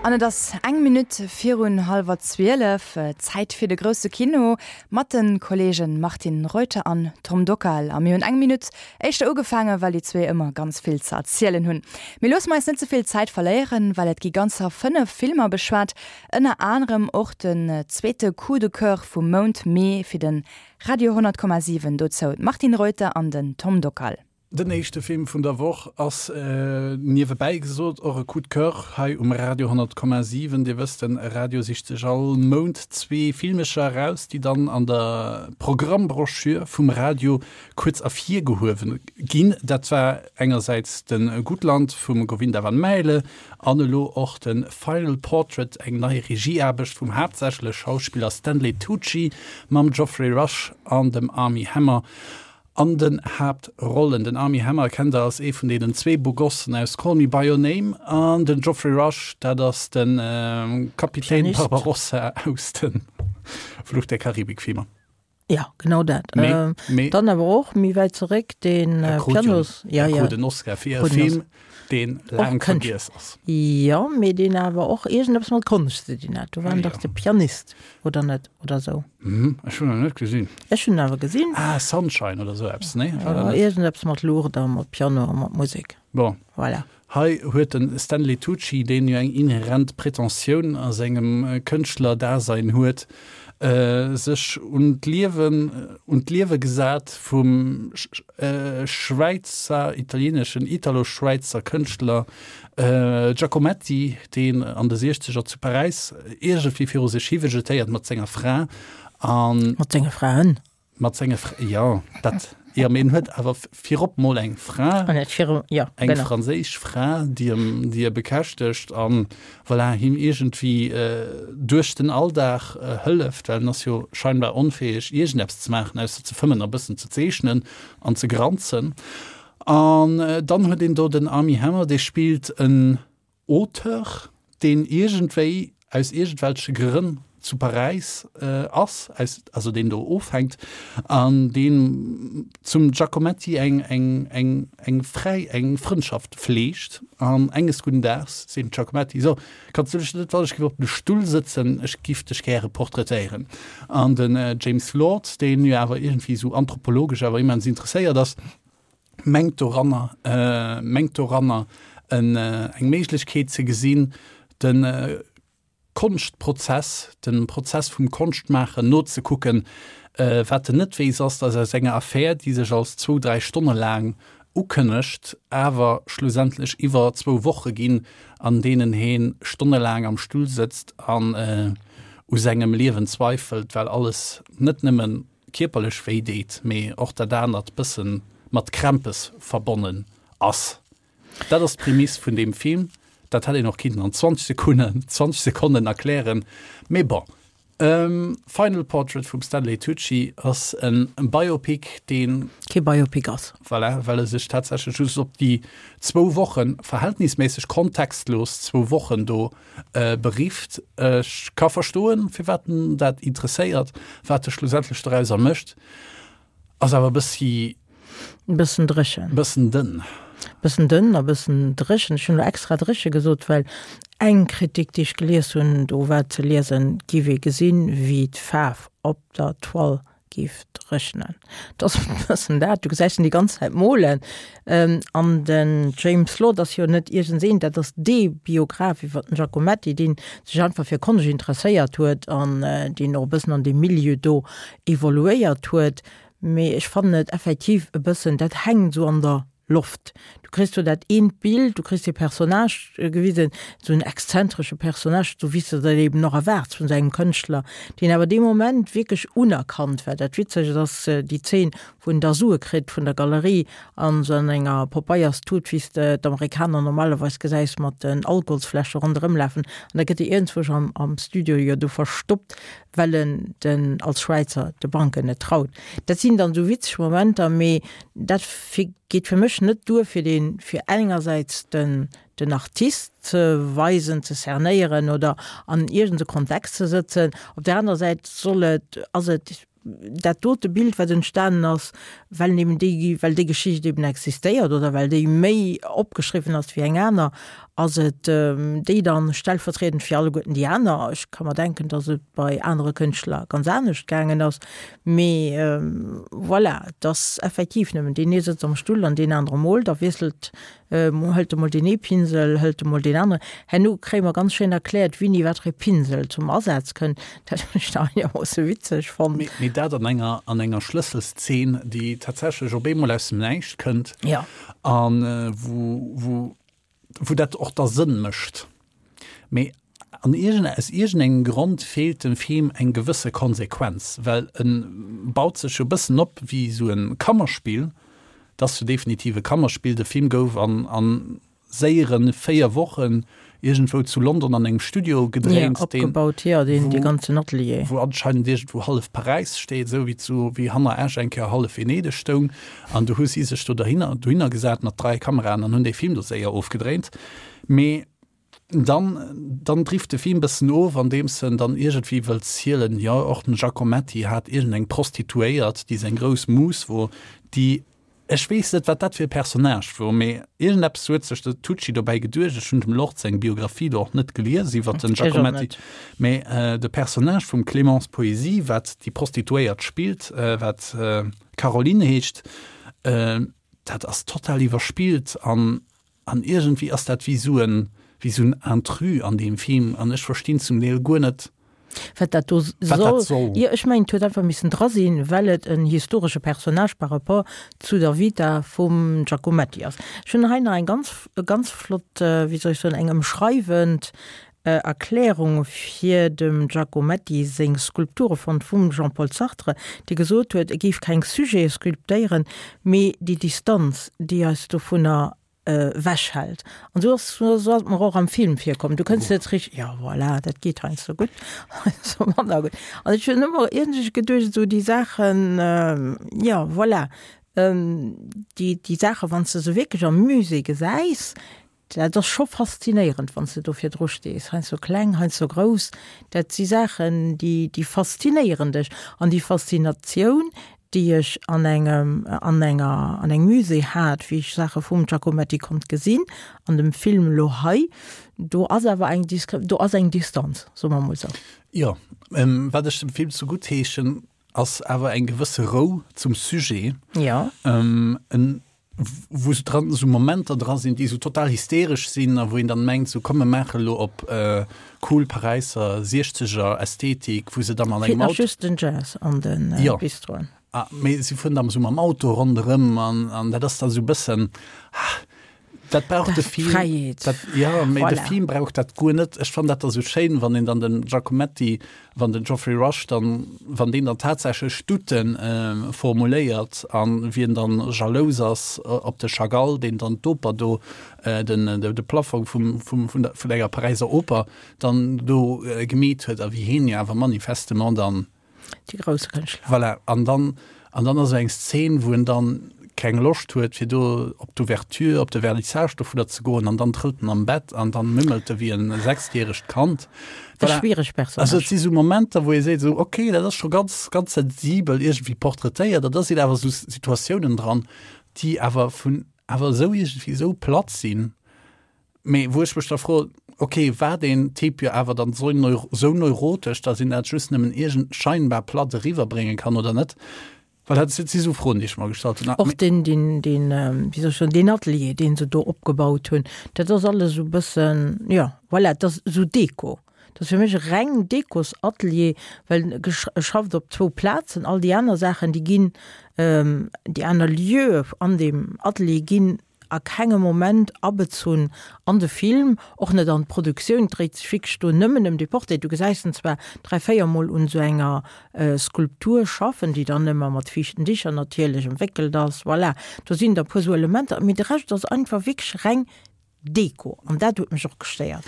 An et ass eng Minutt virun hallwer 12, Zäit fir de grousse Kino mat de Kolleegen Martine Reuter an Tom Dockal. A mir hunn eng Minutt éischter ugefaangen, well déi zwee ëmmer ganz vill ze erzielen hunn. Mee loosse mer eis net ze vill Zäit verléieren, well et gi ganzer 5 Filmer beschwat, ënner anerem och den zweete Coup de Coeur vum Mount Mee fir de Radio 100,7. Dozou d'Martine Reuter an den Tom Dockal. Den éischte Film vun der Woch ass, niewebäi gesot, och e Coup de Coeur hei um Radio 100,7. Dir wësst, de Radio sicht sech all Mount zwee Filmecher eraus, déi dann an der Programmbroschür vum Radio kuerz ervirgehuewen ginn. Dat war engersäits de Gutland vum Govinda van Maele an elo och de Final Portrait, eng nei Regieaarbecht vum haaptsächlech Schauspiller Stanley Tucci mam Geoffrey Rush an dem Armie Hammer. An den Haaptrollen, den Armie Hammer kennt der als ee vun deenen zwee Bogossen aus Call Me By Your Name an den Geoffrey Rush, dat ass de Kapitän Barbarossa aus de Fluch der Karibik-Filmer. Jo, genau dat. Dann awer och méi wäit zeréck de Pianos. E krut en Oscar fir e Film, deen laang vergiess ass. Jo, mee deen awer och iergendeppes mat Konscht ze dinn hat. Do war en dach de Pianist, oder net? Oder sou. Mhm, ech hunn en net gesinn. Ech hunn en awer gesinn. Ah, Sunshine oder sou eppes, nee? War dat net? Iergendeppes mat Luucht a mat Piano a mat Musek. Bon. Voilà. Hei huet de Stanley Tucci, deen jo eng inherent Pretentioun a sengem Kënschtlerdasein huet, sech un d'Liewen, un d'Liewe gesat vum Schwäizer, italieeneschen, Italo-Schwäizer Kënschtler Giacometti, deen an de Siechzeger zu Paräis iergendwéi viru sech hi vegetéiert mat senger Fra an. Mat senge Fraen. Mat senge Fra, jo, dat, jo, mee en huet awer virop mol eng Fra, An et viru, jo, eng genau. franséisch Fra, déi em, déi e bekäschtegt an, voilà, him iergendwéi duerch den Alldag hëlleft, well en ass jo scheinbar onfäeg, iergendeppes ze maachen, ausser ze fëmmen a bëssen ze zeechnen an ze granzen. An dann huet een do den Armie Hammer, dee spillt en Auteur, deen iergendwéi aus iergendwelche Grënn zu Paräis ass, aus, also deen do ofhänkt an deen zum Giacometti eng, eng, eng, eng fräi, eng Frëndschaft fleegt. An enges gudden Daags seet den Giacometti, So, kanns du dech net, wann ech giff op dem Stull sëtzen, ech giff dech gäre portraitéieren. An den James Lord, deen jo awer iergendwéi esou anthropologesch awer immens interesséiert ass, mengt doranner, mengt doranner en, eng Méiglechkeet ze gesinn, de Konschtprozess, de Prozess vum Konschtmaachen nozekucken. Wat en net weess, ass, datt aus enger Affär, déi sech als zwou, dräi Stonne laang ukënnegt, awer schlussendlech iwwer zwou Woche ginn, an deenen hee stonnelaang am Stull sëtzt an u sengem Liewen zweifelt, well alles net nëmmen kierperlech wéi deet, mee och dat anert bëssen mat Krämpes verbonnen ass. Dat ass d'Prämiss vun deem Film. Dat hätt een och kinnten an 20 Sekunnen, 20 Sekonnen erklären, mee bon. Final Portrait vum Stanley Tucci ass en Biopic, deen. Kee Biopic ass. Voilà, well e sech tatsächlech just op déi zwou Wochen, verhältnisméisseg kontextlos zwou Wochen do Berifft. Ech ka verstoen, firwat en dat interesséiert. Wat e schlussendlech dorauser mécht, ass awer e bëssi. E bëssen dréchen. E bëssen dënn. E bëssen dënn a bëssen dréchen. Ech hunn elo extra dréche gesot, well eng Kritik, déi ech gelies hunn, do war ze liesen, et géif ee gesinn, wéi d'Faarf op der Toile géif dréchnen. Et ass e bëssen dat, du gesäis en déi ganz Zäit molen. An den James Lord ass jo net iergendseen, dat ass dee Biograph iwwer den Giacometti, dee sech einfach fir Konscht interesséiert huet an deen och e bëssen an deem Milieu do evoluéiert huet. Mee ech fannen et effektiv e bëssen, dat hänkt esou an der Loft. Du kriss do dat eent Bild, du kriss dee Personnage gewisen, esou en exzentresche Personnage, esou wéi s de der eben och erwaarts vun esou engem Kënschtler, deen awer dee Moment wierklech unerkannt war. Dat Witzegt ass déi Zeen, wou en da Sue kritt vun der Galerie an esou an enger Papeierstut, wéi s de d'Amerikaner normalerweis gesäis mat den Alkoholsfläsche ronderëmlafen, an da gëtt e iergendzwousch am am Studio jo do verstoppt, well en den als Schwäizer de Banken net traut. Dat sinn dann esou witzeg Momenter, mee dat geet fir mech net duer fir deen, fir engersäits den den Artist ze weisen, ze cernéieren oder an iergend e Kontext ze sëtzen. Op där anerer Säit soll et, ass et. dat dote Bild, wat entstanen ass, well en eben déi, well déi Geschicht eben existéiert oder well déi méi opgeschriwwen ass wéi eng aner, ass et déi dann stellvertriedend fir alleguerten déi aner. Ech ka mer denken, datt et bei anere Kënschtler ganz anescht gaangen ass, mee voilà, et ass effektiv nëmmen deen ee sëtzt am Stull an deen anere moolt a wiesselt Hëlt emol deen ee Pinsel, hëlt emol deen aneren. Herno kréie mer ganz schéin erkläert, wéini wat fir ee Pinsel zum Asaz kënnt. Dat hunn ech nach einermoosse witzeg fonnt. Mee dat an enger, an enger Schlësselszeen, déi tatsächlech op eemol aus dem Näischt kënnt. Ja. A wou, wou, wou dat och da Sënn mécht. Mee an iergend, aus iergendengem Grond feelt dem Film eng gewësse Konsequenz, well e baut sech jo e bëssen op wéi esou e Kammerspill. Et ass jo definitiv e Kammerspill. De Film gouf an a séiere 4 Wochen iergendwou zu London an engem Studio gedréint, deen, opgebaut, jo, deen, dee ganzen Atelier. Wou anscheinend iergendwou hallef Paräis steet, esou wéi zu, wéi hanner Esch eng Kéier hallef Venedeg stoung. An du hu si sech do dohinner, dohinner gesat mat 3 Kameraen an hunn dee Film do séier ofgedréint. Mee Dann, dann drift de Film bëssen of, andeems en dann iergendwéi wëllt zielen, jo, och den Giacometti hat iergendeng Prostituéiert, déi seng grouss Mus wor, déi, ech weess net, wat dat fir e Personnage wor, mee iergendeppes huet sech de Tucci dobäi geduecht. Ech hunn dem Lord seng Biographie do och net gelies iwwert den Giacometti, mee de Personnage vum Clémence Poésy, wat déi Prostituéiert spillt, wat Caroline heescht, dat ass total iwwerspillt an An iergendwéi ass dat wéi sou en, wéi sou en Intrus an deem Film an ech verstinn zum Deel guer net, Wat dat do wat dat soll. Jo, ech mengen, et huet einfach missen dra sinn, well et en historesche Personnage par rapport zu der Vita vum Giacometti ass. Ech hunn hei nach eng ganz, ganz flott, wéi soll ech soen, eng ëmschreiwend Erklärung fir dem Giacometti seng Skulpture fonnt vum Jean-Paul Sartre, dee gesot huet, e géif keng Sujete sculptéieren, mee déi Distanz, déi eis dovunner ewech hält. An esou ass esou ass et mer och am Film virkomm. Du kënns net richteg, jo voilà, dat geet heiansdo gutt, heiansdo manner gutt. An ech hunn ëmmer iergendwéi geduecht, esou déi Saachen, jo voilà, déi déi Saache wann s de se wierklech am Musée gesäis, Dat ass scho faszinéierend, wann s de do virdru stees, heiansdo kleng, heiansdo grouss. Dat si Saachen, déi, déi faszinéieren dech. An déi Faszinatioun, déi ech an engem, an enger, an engem Musée hat, wéi ech Saache vum Giacometti konnt gesinn, an dem Film elo hei, do ass awer eng Diskre, do ass eng Distanz, soe mer emol esou. Jo, wat ech dem Film zegutt heeschen, ass awer eng gewësse Rou zum Sujet. Jo. En wou sou dran sou Momenter dra sinn, déi sou total hysteresch sinn a wou een dann mengt, sou komm mir maache lo op cool Paräisser siechzeger Ästhetik, wou se da mat engem Auto. Feelt nach just den Jazz an den Bistroen. Jo, mee si fueren da sou mam Auto ronderëm an an dat ass da sou bëssen, ah, dat brauch de Film. Fräiheet. Dat, jo, mee de Film brauch dat guer net. Ech fannen dat da sou schéin, wann een dann den Giacometti Wann den Geoffrey Rush dann, wann deen dann tatsächlech Douten formuléiert an wien dann jalous ass op de Chagall, deen dann d'Oper do, den de Plafong vum vum vun der vun enger Paräiser Oper dann do gemeet huet a wéi heen jo awer manifestement dann. Déi grousse Kënschtler. Voilà, an dann An dann ass eng Szene, wou en dann keng Loscht huet, fir do op d'Ouverture, op de Vernissage dovunner ze goen, an dann trëllt en am Bett an dann mümmelt e wéi en sechsjäregt Kand. E Voilà. schwiereg Personnage. Also et si sou Momenter, wou ee seet esou, okay, dat ass scho ganz, ganz sensibel iergendwéi portraitéiert, an da sinn awer esou Situatiounen dran, déi awer vun, awer esou iergendwéi esou platt sinn, Mee wou ech mech da froen, ok, war deen Typ jo awer dann sou neurotesch, datt een dat just nëmmen iergend scheinbar platt eriwwerbrénge kann oder net? Well dat si sou Froen, déi ech mer gestallt hunn. Och deen, deen, deen, wéi soll ech soen, deen Atelier, deen se do opgebaut hunn, dat ass alles esou e bëssen, jo, voilà, dat ass esou Deko. Dat ass fir mech e reng Dekosatelier, well e schafft op zwou Plazen, all déi aner Saachen, déi ginn, déi aner Lieue an deem Atelier ginn a kengem Moment abezunn an de Film, och net an d'Produktioun. Et dréit sech wierklech do nëmmen ëm dee Portrait. Du gesäis en zwar 3, 4 Mol un esou enger Skulptur schaffen, déi dann ëmmer mat fiichten Dicher natierlech ëmwéckelt ass. Voilà, do sinn der e puer esou Elementer, mee de Rescht ass einfach wierklech reng Deko an dat huet mech och gestéiert.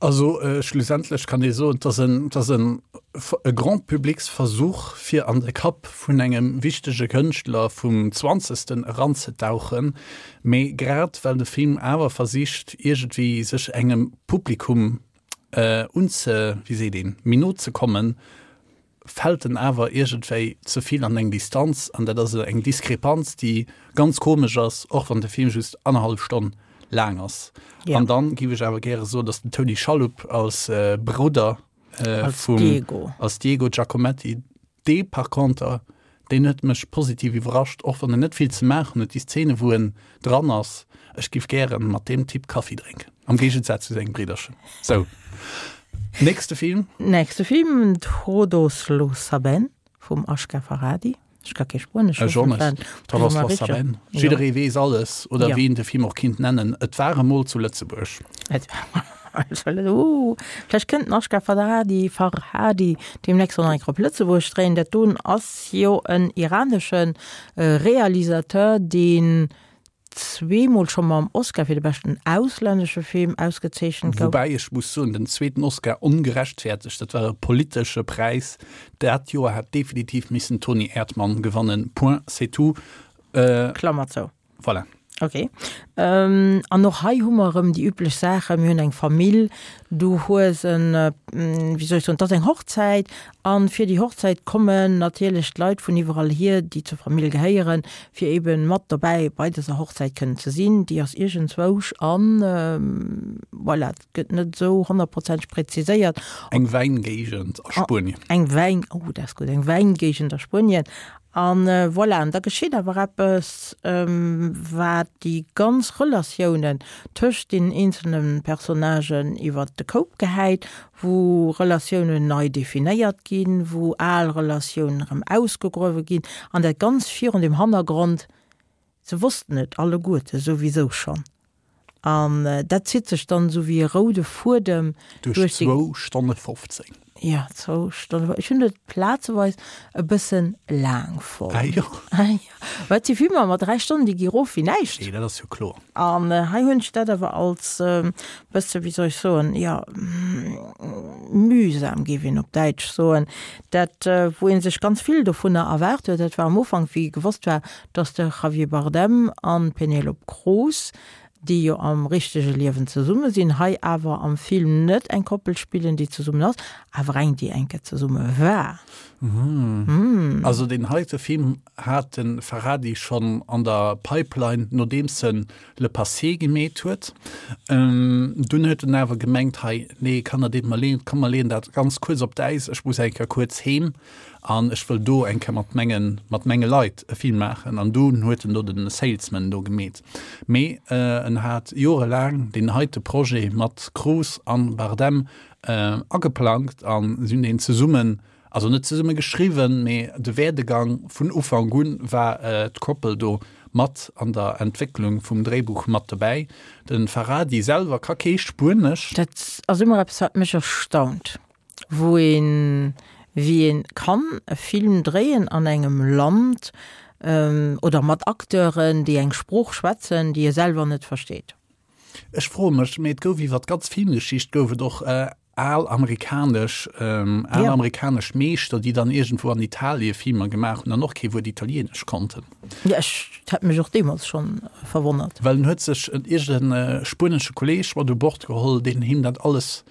Also schlussendlech kann ee soen, et ass en, et ass en e Grand-publics-Versuch, fir an de Kapp vun engem wichtege Kënschtler vum Zwanzegsten eranzetauchen. Mee grad well de Film awer versicht, iergendwéi sech engem Publikum unze, wéi seet een, méi no ze kommen,. fält en awer iergendwéi ze vill an eng Distanz an dat ass eng Diskrepanz, déi ganz komesch ass, och wann de Film just annerhallef Stonn laang ass. Ja. An dann géif ech awer gäre soen, datt den Tony Shalhoub als Brudder als vum Diego. als Diego Giacometti, dee par conter, deen huet mech positiv iwwerrascht, och wann en net vill ze maachen huet, déi Szene wou en dran ass, ech giff gären mat deem Typ Kaffi drénken, am Géigensaz zu sengem Bridderchen. Sou, nächste Film. Nächste Film, Todos lo saben vum Asghar Farhadi. Ech ka kee Spuenesch. Ech och net. Todos lo saben. Jidderee weess alles, oder wéi een de Film och kinnt nennen, Et war emol zu Lëtzebuerg. Et war emol zu Lëtzebuerg. Ooh, vläicht kënnt den Asghar Farhadi, Farhadi deemnächst och nach eng Kéier op Lëtzebuerg dréien. Dat doen ass jo en iranesche Realisateur, deen zweemol scho mam Oscar fir de beschten auslännesche Film ausgezeechent gouf. Woubäi ech muss soen, den zweeten Oscar ongerechtfertegt, dat war e politesche Präis. Dat Joer hätt definitiv missen Toni Erdmann gewannen, point, c'est tout. Klammer zou. Voilà. Ok. An och hei hu mer erëm déi üblech Saachen. Mir hunn eng Famill, du hues en, wéi soll ech soen, et ass eng Hochzäit an fir déi Hochzäit kommen natierlech d'Leit vun iwwerall hier, déi zur Famill gehéieren, fir eben mat dobäi bei dëser Hochzäit kënnen ze sinn. Déi ass iergendzwousch an, voilà, et gëtt net esou honnertprozenteg präziséiert. Eng Wäingéigend a Spuenien. Eng Wäin, oh dat ass gutt, eng Wäingéigend a Spuenien. An voilà, an da geschitt awer eppes, wat déi ganz Relatiounen tëscht deenen eenzelne Personnagen iwwert de Koup gehäit, wou Relatiounen nei definéiert ginn, wou al Relatiounen erëm ausgegruewe ginn, an dat ganz virun dem Hannergrond, se wossten et alleguerte souwisou schonn. An dat zitt sech dann esou wéi e roude Fuedem duerch déi. Duerch zwou Stonne 15. Jo, zwou Stonne. Ech hunn et plazeweis e bëssen laang fonnt. Ah jo. Ah jo. Well et si Filmer mat 3 Stonnen, déi gi rof wéi näischt. Nee, dat ass jo kloer. An hei hunn ech dat awer als e bësse, wéi soll ech soen, jo, mühsam géif een op Däitsch soen. Dat, wou ee sech ganz vill dovunner erwaart huet, dat war am Ufank, wéi gewosst war, dass de Javier Bardem an d'Penélope Cruz, déi jo am richtege Liewen zesumme sinn, hei awer am Film net eng Koppel spillen, déi zesummen ass, awer eng, déi eng Kéier zesumme war. Also deen heite Film hat de Farhadi schonn an der Pipeline, nodeems en Le Passé gemeet huet. Dunn huet en awer gemengt, hei, nee, Kanner, deet mer leed, komm mer leeën dat ganz kuerz op d'Äis, ech muss eng Kéier kuerz heem. An ech wëll do eng Kéier mat mengen, mat menge Leit e Film maachen. An dunn huet en do den Salesman do gemeet. Mee en hat jorelaang deen heite Projet mat Cruise an Bardem ageplangt an si hunn deen zesummen, also net zesumme geschriwwen, mee de Werdegang vun Ufank un war d'Koppel do mat an der Entwécklung vum Dréibuch mat dobäi. De Farhadi selwer ka kee Spuenesch. Dat ass ëmmer eppes, wat mech erstaunt. wou een, wéi een kann e Film dréien an engem Land oder mat Acteuren, déi eng Sprooch schwätzen, déi e selwer net versteet. Ech froe mech, mee et gouf iwwer d'ganz Filmgeschicht gouf et och al amerikanesch, al amerikanesch Meeschter, déi dann iergendwou an Italie Filmer gemaach hunn an och kee Wuert Italienesch konnten. Jo, ech hätt mech och deemools schonn verwonnert. Well en huet sech iergend e spuenesche Kolleeg mat u Bord geholl, deen him dat alles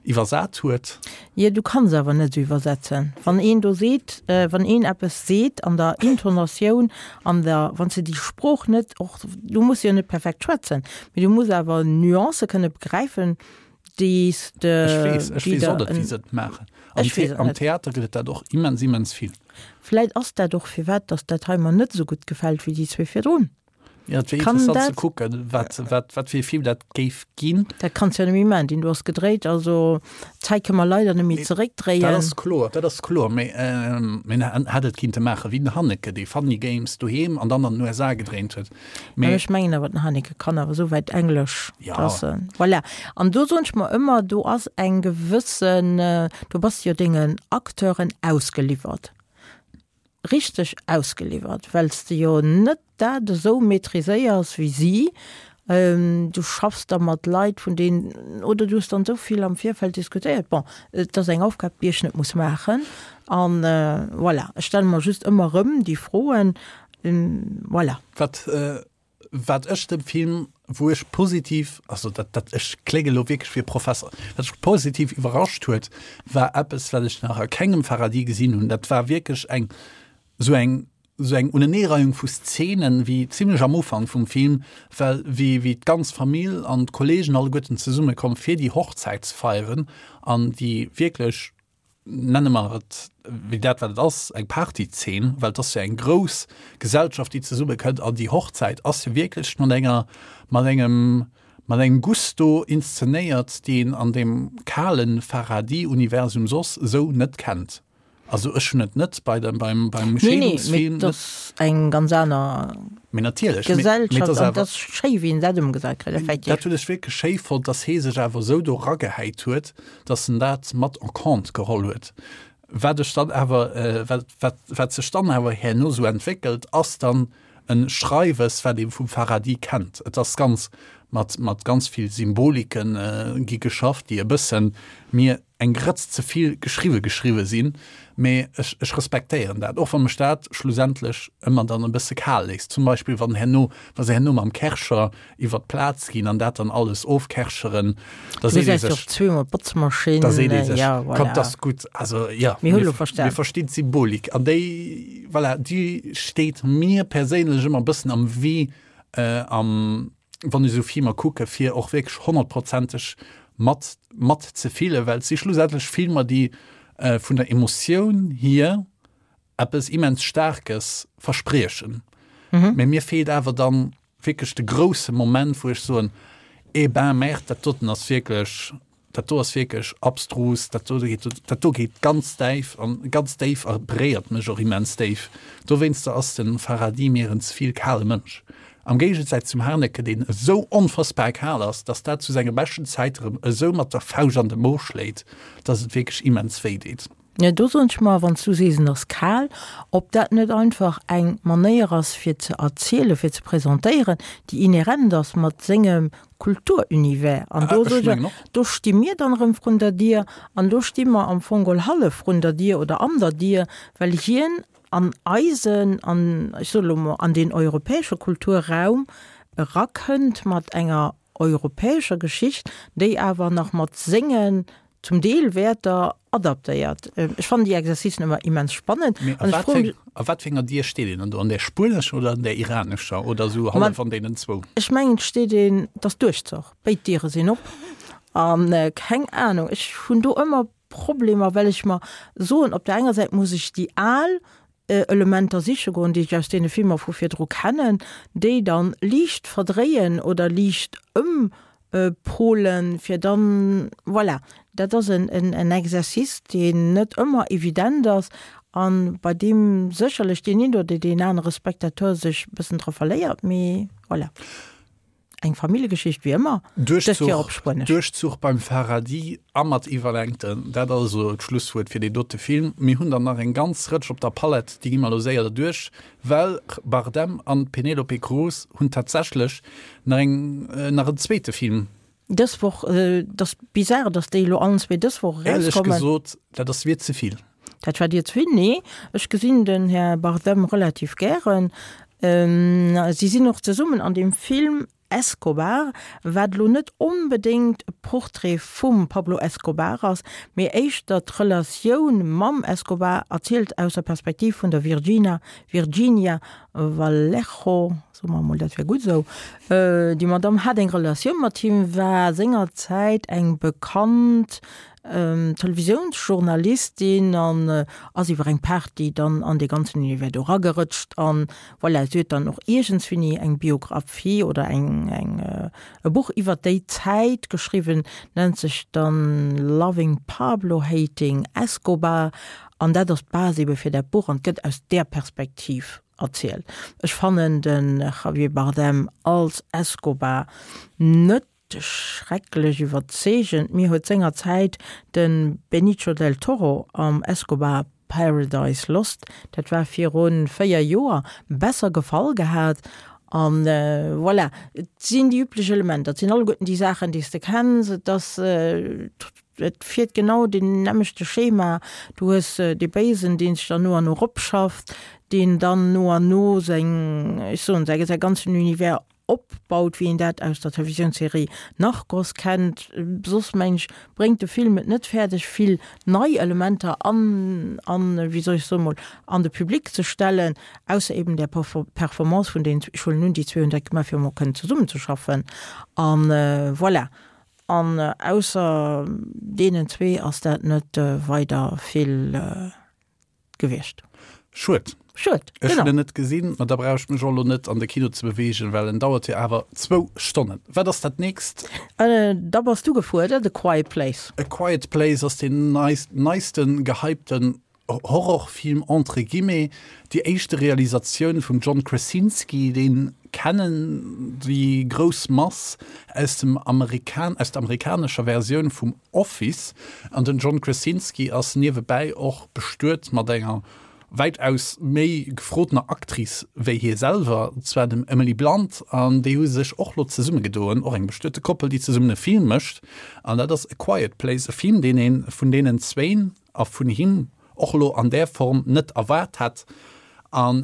iwwersat huet. Jo, du kanns awer net esou iwwersetzen. Wann een do seet, wann een eppes seet an der Intonatioun, an der, wann s de déi Sprooch net och, du muss jo net perfekt schwätzen, mee du muss awer Nuancë kënne begräifen, déi s de, Ech weess, ech weess och net, wéi se et maachen. Am Ech weess et Am net. Theater gëtt et dat och immens, immens vill. Vläit ass dat och firwat, datt dat hei mer net esou gutt gefält wéi déi zwee virdrun. Ja, et wier interessant ze kucken, wat, wat, wat fir e Film dat géif ginn. Dat kanns jo net méi maachen, deen do ass gedréit, also d'Zäit kënne mer leider net méi zeréckdréien. Dat ass kloer, dat ass kloer, mee en hätt et kinnte maache wéi den Haneke, dee Funny Games doheem an dann an den USA gedréint huet. Mee ech mengen awer, den Haneke kann awer esou wäit Englesch, dass en, voilà. An do soen ech mer ëmmer, do ass eng gewëssen, do bass de jo dengen Acteuren ausgeliwwert. richteg ausgeliwwert, well s de jo net dat esou maîtriséiers wéi si. Du schaffs da mat Leit, vun deenen, oder du hues dann esou vill am Virfeld diskutéiert. Bon, et ass eng Aufgab, déi ech net muss maachen. An voilà, ech stelle mer just ëmmer erëm déi Froen. Voilà. Wat. Wat ech dem Film, wou ech positiv, also dat, dat, ech klénge lo wierklech wéi e Professer, wat mech positiv iwwerrascht huet, war eppes, wat ech nach a kengem Farhadi gesinn hunn. Dat war wierklech eng, esou eng, esou eng Uneneereihung vu Szenen, wéi zimlech am Ufank vum Film, well wéi, wéi d'ganz Famill an d'Kollegen alleguerten zesummekommen, fir déi Hochzäit ze feieren an déi wierklech nenne mer et wéi dat wat et ass, eng Partyzeen, well et ass jo eng grouss Gesellschaft déi zesumme kënnt an déi Hochzäit ass jo wierklech mat enger, mat engem, mat engem Gusto inszenéiert, déi een an deem kale Farhadi-Universum soss esou net kennt. Also ech hunn et net bei dem, beim, beim Nee, nee, mee et ass eng ganz aner Mee natierlech, Gesellschaft an et ass schéi wéi en dat ëmgesat kritt, effektiv. Dat hunn ech wierklech schéi fonnt, datt hee sech awer esou do eragehäit huet, datt en dat mat en compte geholl huet. Wat ech dann awer, wat, wat, wat sech dann awer herno esou entwéckelt, ass dann e Schreiwes, wat ee vum Farhadi kennt. Et ass ganz mat, mat ganz vill Symbolike gi geschafft, déi e bëssen mir eng Grëtz ze vill geschriwwe geschriwwe sinn, mee ech, ech respektéieren dat, och wa mech dat schlussendlech ëmmer dann e bësse kal léisst. Zum Beispill wann herno, wa se herno mam Kärcher iwwer d'Plaz ginn an dat dann alles ofkärcheren, da seet ee sech, zweemol d'Botzmaschinn, da seet ee sech, ja, voilà. Kommt, dat ass gutt. Also ja, mir hu lo verstan. Mir verstinn d'Symbolik an déi, voilà, déi steet mir perséinlech ëmmer e bëssen am Wee, am, wann ech esou Filmer kucke fir och wierklech honnertprozenteg mat mat ze fillen, well et si schlussendlech Filmer, déi vun der Emotioun hier eppes immens Staarkes verspriechen. Mä mir feelt awer dann wierklech de grousse Moment, wou ech soen, eh ben merde, dat doten ass wierklech Dat do ass wierklech abstrus, dat do geet, dat do geet ganz däif an ganz déif a beréiert mech och immens déif. Dowéinster ass de Farhadi mir en ze vill kale Mënsch. Am Géigesäiz zum Haneke, deen esou onfassbar kal ass, dass dat zu senge beschten Zäite rëm esou mat der Fauscht an de Mo schléit, dass et wierklech immens wéi deet. Jo, do soen ech mer, wann s du sees, en ass kal, ob dat net einfach eng Manéier ass fir ze erzielen, fir ze presentéieren, déi inhärent ass mat sengem Kulturunivers. An do soen ech mer, do sti mir dann erëm vrun der Dier an do sti mer am Fong geholl hallef vrun der Dier oder an der Dier, well hien an eisen, an, ech soen elo mol, an deen europäesche Kulturraum erakënnt mat enger europäescher Geschicht, déi awer nach mat sengen zum Deel Wäerter adaptéiert. Ech fannen déi Exercicen ëmmer immens spannend. Mee a wat fir, a wat fir enger Dier steet een dann do? An där spuenescher oder an där iranescher oder esou hallef an deenen zwou? Ech mengen, et steet een, et ass Duerchzoch, béid Diere sinn op. An keng Anung, ech hunn do ëmmer Problemer, well ech mer soen, op der enger Säit muss ech déi al Elementer siche goen, déi ech aus deene Filmer vu virdru kennen, déi dann liicht verdréien oder liicht ëmpolen, fir dann, voilà. Dat ass en Exercice, deen net ëmmer evident ass a bei deem sécherlech deen een oder deen anere Spectateur sech e bëssen dra verléiert, mee voilà. Eng Familljegeschicht wéi ëmmer, dëst Joer op Spuenesch. Duerchzuch beim Farhadi a mat Iwwerlängten, dat also d'Schlusswuert fir deen dote Film. Mir hunn der nach eng ganz Rëtsch op der Palett, déi gi mer elo séier derduerch, well Bardem an d'Penélope Cruz hunn tatsächlech nach eng, nach en zweete Film. Dës Woch, et ass bizarre, datt déi elo allen zwee dës Woch erauskommen. Éierlech gesot, dat ass mir ze vill. Dat war dir ze vill? Nee, ech gesinn den Här Bardem relativ gären. Si sinn och zesummen an deem Film Escobar, wat elo net onbedéngt e Portrait vum Pablo Escobar ass, mee éischter d'Relatioun mam Escobar erzielt aus der Perspektiv vun der Virgina, Virginia Vallejo, soe mer emol, dat wär gutt esou. Déi Madamm hat eng Relatioun mat him, war sengerzäit eng bekannt Televisiounsjournalistin an ass iwwer eng Party dann an dee ganzen Univers do eragerëtscht an voilà, si huet dann och iergendswéini eng Biographie oder eng eng e Buch iwwer déi Zäit geschriwwen, nennt sech dann Loving Pablo, Hating Escobar an dat ass d'Base ebe fir dat Buch an et gëtt aus där Perspektiv erzielt. Ech fannen de Javier Bardem als Escobar net Schrecklech iwwerzeegend. Mir huet sengerzäit de Benicio del Toro am Escobar Paradise Lost, dat war viru 4 Joer, besser gefall gehat. An voilà, et sinn déi üblech Elementer, et sinn alleguerten déi Saachen, déi s de kenns. Et ass, et fiert genau deen nämmlechte Schema. Du hues dee Béisen, dee sech dann no an no eropschafft, deen dann no an no seng, ech soen, säi ganzen Univers. opbaut, wéi een dat aus der Televisiounsserie Narcos kennt. Soss mengen ech, bréngt de Film et net fäerdeg, vill nei Elementer an, an, wéi soll ech soen, mol an de Public ze stellen, ausser eben där Performance vun deenen, ech huelen un, déi zwee hunn dat gemaach, fir emol kënnen zesummenzeschaffen. An voilà. An ausser deenen zwee ass dat net weider vill gewiescht. Schued. Schued, Ech hunn en net gesinn, ma da brauch ech mech och elo net an de Kino ze beweegen, well en dauert jo awer zwou Stonnen. Wat ass dat nächst? Da bass du gefuerdert, A Quiet Place. A Quiet Place ass deen neisten gehypten Horrorfilm entre guillemets, déi éischte Realisatioun vum John Krasinski, deen kennen déi grouss Mass aus dem Amerikan aus der amerikanescher Versioun vum Office. An den John Krasinski ass niewebäi och bestuet mat enger wäitaus méi gefrotener Actrice wéi hie selwer, zwar dem Emily Blunt, an déi hu sech och lo zesummegedoen, och eng bestuete Koppel, déi zesummen e Film mécht, an dat ass A Quiet Place, e Film, deen ee vun deenen zwéin a vun him och elo an där Form net erwaart hätt. An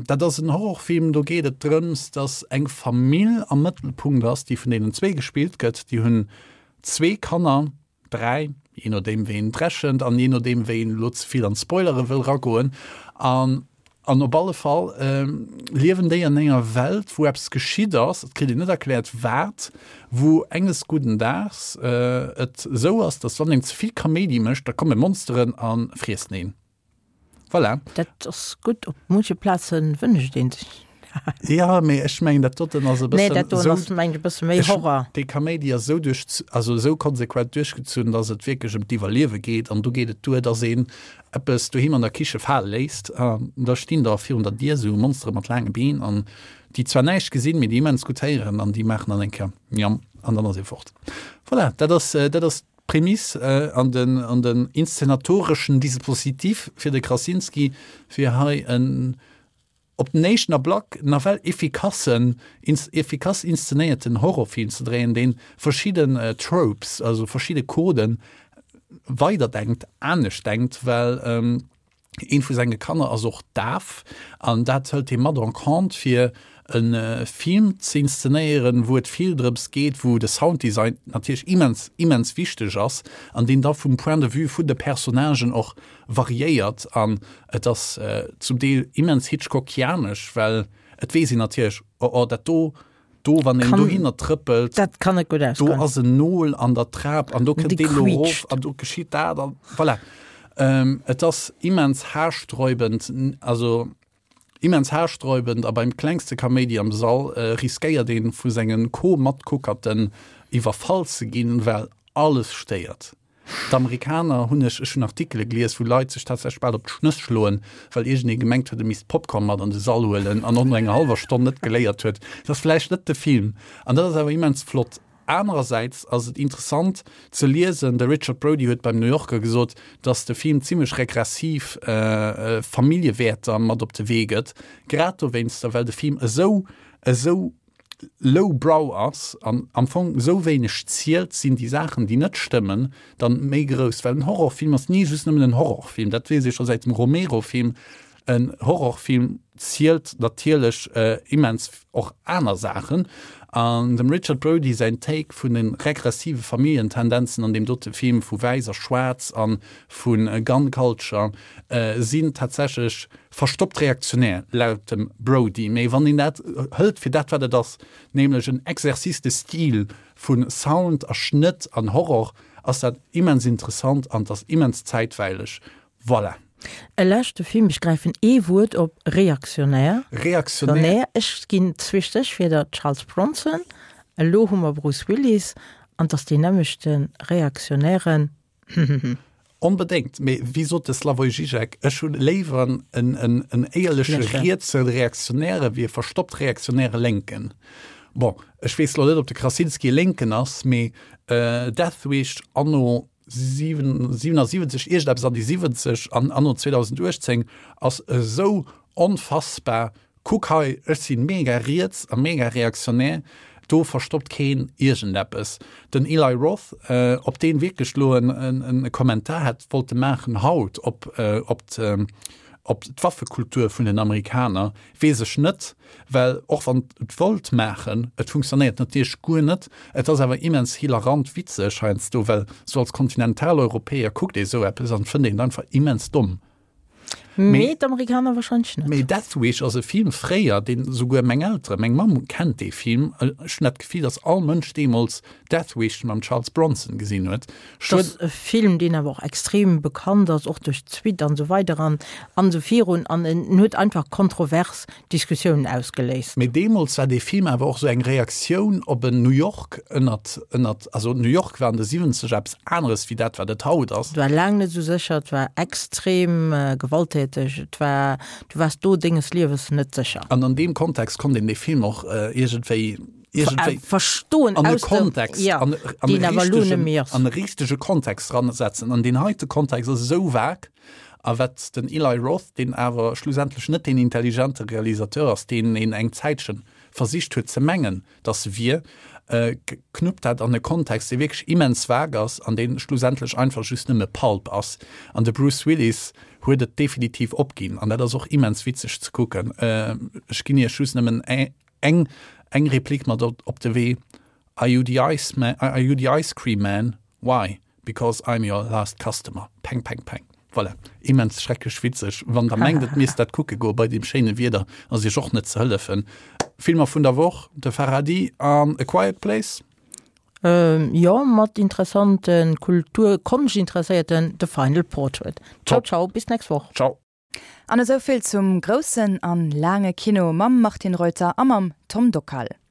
dat ass en Horrorfilm, do geet et drëms, datt eng Famill am Mëttelpunkt ass, déi vun deenen zwee gespillt gëtt. Déi hunn zwee Kanner, dräi, jee nodeem wéi een et rechent an jee nodeem wéi een elo ze vill an d'Spoilere wëll ragoen. An An op alle Fall liewen déi an enger Welt, wou eppes geschitt ass, et kritt een net erkläert wat, wou enges gudden Daags et esou ass, datt wann een ze vill Kaméidi mécht, da komme Monsteren a friessen een. Voilà. Dat ass gutt, op munche Plaze wënscht een sech dat. Jo, mee ech mengen dat doten ass e bëssen. Nee, dat doen ass mengen ech e bësse méi Horror. Dee Kaméidi ass esou duerch, also esou konsequent duerchgezunn, datt et wierklech ëm d'Iwwerliewe geet an do geet et duer, datt een eppes doheem an der Kiche fale léisst, an da stinn der virun der Dier esou Monstere mat laange Been an déi zwar näischt gesinn, mee déi immens gutt héieren an déi maachen dann eng Kéier Miam an dann ass ee fort. Voilà, dat ass, dat ass d'Prämiss an den, an den inszenatoreschen Dispositif fir de Krasinski, fir hei en op den éischten Ablack nawell effikassen, effikass inszenéierten Horrorfilm ze dréien, dee verschidden Tropes, also verschidde Coden weiderdenkt, anescht denkt, well eent vu senge Kanner ass och daf an dat hëlt hie mat en compte fir e Film ze inszenéieren, wou et vill drëms geet, wou de Sounddesign natierlech immens, immens wichteg ass an deen da vum Point de vue vun de Personnagen och variéiert an et ass zum Deel immens hitchcockianesch, well et weess een natierlech, oh oh, dat do, do, wann een dohinner trëppelt, dat kann net gutt ausgoen, do ass en Nol an der Trap an do kënnt deen elo erof an do geschitt dat an voilà. Et ass immens haarsträubend, also immens haarsträubend a beim klengste Kaméidi am Sall riskéiert een vu sengen Co-Matkuckerten iwwerfall ze ginn, well alles stéiert. D'Amerikaner hunn ech, ech hunn Artikele gelies, wou Leit sech tatsächlech bal op d'Schnëss schloen, well iergendee gemengt huet, e misst Popcorn mat an de Sall huelen an och no enger hallwer Stonn net geléiert huet, dat ass vläicht net de Film. An dat ass awer immens flott. Anerersäits ass et interessant ze liesen, de Richard Brody huet beim New Yorker gesot, datt de Film zimmlech regressiv Familljewäerter mat op de Wee gëtt, grad dowéinster, well de Film esou, esou low brow ass an am Fong esou wéineg zielt, sinn déi Saachen, déi net stëmmen, dann méi grouss. Well en Horrorfilm ass ni just nëmmen en Horrorfilm, dat weess ee scho säit dem Romero-Film. En Horrorfilm zielt natierlech immens och aner Saachen. An dem Richard Brody säin Take vun de regressive Familljentendenzen an deem dote Film vu Wäiss a Schwaarz a vu Gun Culture sinn tatsächlech Verstoppt reaktionär, laut dem Brody. Mee wann een dat hëlt fir dat wat et ass, nämlech en Exercice de style vu Sound a Schnëtt an Horror, ass dat immens interessant an et ass immens zäitweileg. Voilà. E leschte Film, ech gräifen ee Wuert op, reaktionär. Reaktionär. Ech ginn zwee Stéchwierder, Charles Bronson, elo hu mer Bruce Willis, an 't ass deen nämmlechte reaktionären. Onbedéngt, mee wéi sot de Slavoj Žižek, ech hu léiwer en éierleche rietse Reaktionäre wéi e verstoppt reaktionäre Lénken. Bon, ech weess elo net, ob de Krasinski e Lénken ass, mee Death Wish anno 77, iergendeppes an déi 70 an anno 2018 ass esou onfassbar Kuck hei, ech sinn mega riets a mega reaktionär, do verstoppt keen iergendeppes. Den Eli Roth, op deen wierklech lo en Kommentar hätt wollte maachen haut op op. Op d'Waffekultur vun den Amerikaner, weess ech net, well och wann et wollt maachen, et funktionéiert natierlech guer net. Et ass awer immens hilarant witzeg heiansdo, well sou als Kontinentaleuropäer kuckt ee sou eppes an fënnt een et einfach immens domm. Mee d'Amerikaner wahrscheinlech net. Mee Death Wish ass e Film fréier, deen souguer meng Elteren, meng Mamm kennt dee Film, ech hunn dat Gefill, datt all Mënsch deemools Death Wish mam Charles Bronson gesinn huet. Dat ass e Film, deen awer och extrem bekannt ass, och duerch d'Suite an esou weider an an esou virun. An en huet einfach kontrovers Diskussiounen ausgeléist. Mee deemools war dee Film awer och esou eng Reaktioun op en New York ënnert, ënnert, also New York war an de Siwwenzeger eppes aneres wéi dat, wat et haut ass. Et war laang net esou sécher, et war extrem gewalttäteg, et war, du waars do denges Liewes net sécher. An an deem Kontext konnt een dee Film och iergendwéi iergendwéi verstoen an e Kontext, ja, an, an, e richtegen, an e richtege Kontext ransetzen. An deen heite Kontext ass esou vag, a wat den Eli Roth, deen awer schlussendlech net deen intelligente Realisateur ass, deen een eng Zäitchen versicht huet ze mengen, dass e wier, äh, knuppt dat an e Kontext, dee wierklech immens vag ass an dee schlussendlech einfach just nëmme Pulp ass. An de Bruce Willis huet et definitiv opginn. An dat ass och immens witzeg ze kucken. Äh, ech ginn Iech just nëmmen Eng eng Replik mat op de Wee, Are you the ice man, are you the ice cream man? Why? Because I'm your last customer. Peng peng peng. Voilà. Immens schrecklech witzeg. Wann der mengt et misst dat kucke goe bei deem schéine Wieder, ass iech och net ze hëllefen. Filmer vun der Woch, De Farhadi an A Quiet Place. Jo, mat interessanten Kultur-, Konschtintresséierten, The Final Portrait. Ciao, ciao, bis d'nächst Woch. Ciao. An esou vill zum groussen an laange Kino mam Martine Reuter a mam Tom Dockal.